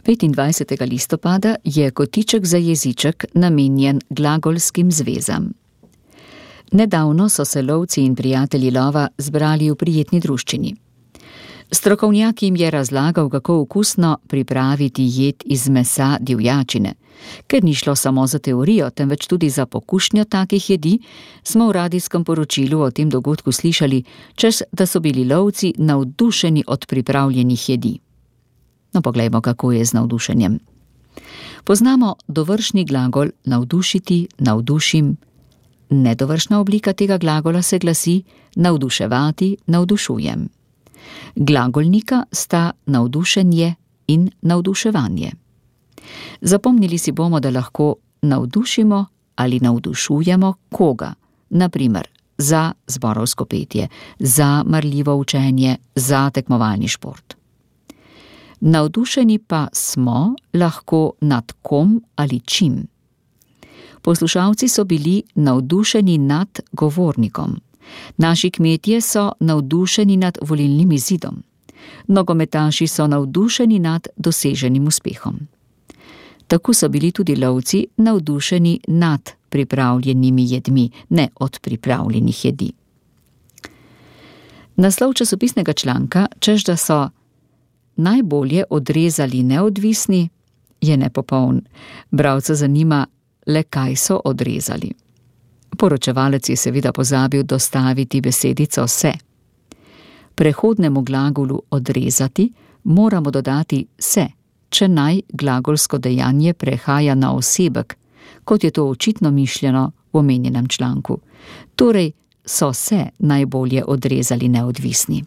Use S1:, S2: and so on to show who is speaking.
S1: 25. listopada je kotiček za jeziček namenjen glagolskim zvezam. Nedavno so se lovci in prijatelji lova zbrali v prijetni druščini. Strokovnjak jim je razlagal, kako okusno pripraviti jed iz mesa divjačine. Ker ni šlo samo za teorijo, temveč tudi za pokušnjo takih jedi, smo v radijskem poročilu o tem dogodku slišali, češ da so bili lovci navdušeni od pripravljenih jedi. No, poglejmo, kako je z navdušenjem. Poznamo dovršni glagol navdušiti, navdušim. Nedovršna oblika tega glagola se glasi navduševati, navdušujem. Glagolnika sta navdušenje in navduševanje. Zapomnili si bomo, da lahko navdušimo ali navdušujemo koga, na primer za zborovsko petje, za marljivo učenje, za tekmovalni šport. Navdušeni pa smo lahko nad kom ali čim. Poslušalci so bili navdušeni nad govornikom. Naši kmetje so navdušeni nad volilnim izidom. Nogometaši so navdušeni nad doseženim uspehom. Tako so bili tudi lovci navdušeni nad pripravljenimi jedmi, ne od pripravljenih jedi. Naslov časopisnega članka, češ da so najbolje odrezali neodvisni, je nepopoln. Bralca zanima le, kaj so odrezali. Poročevalec je seveda pozabil dostaviti besedico se. Prehodnemu glagolu odrezati moramo dodati se, če naj glagolsko dejanje prehaja na osebek, kot je to očitno mišljeno v omenjenem članku. Torej so se najbolje odrezali neodvisni.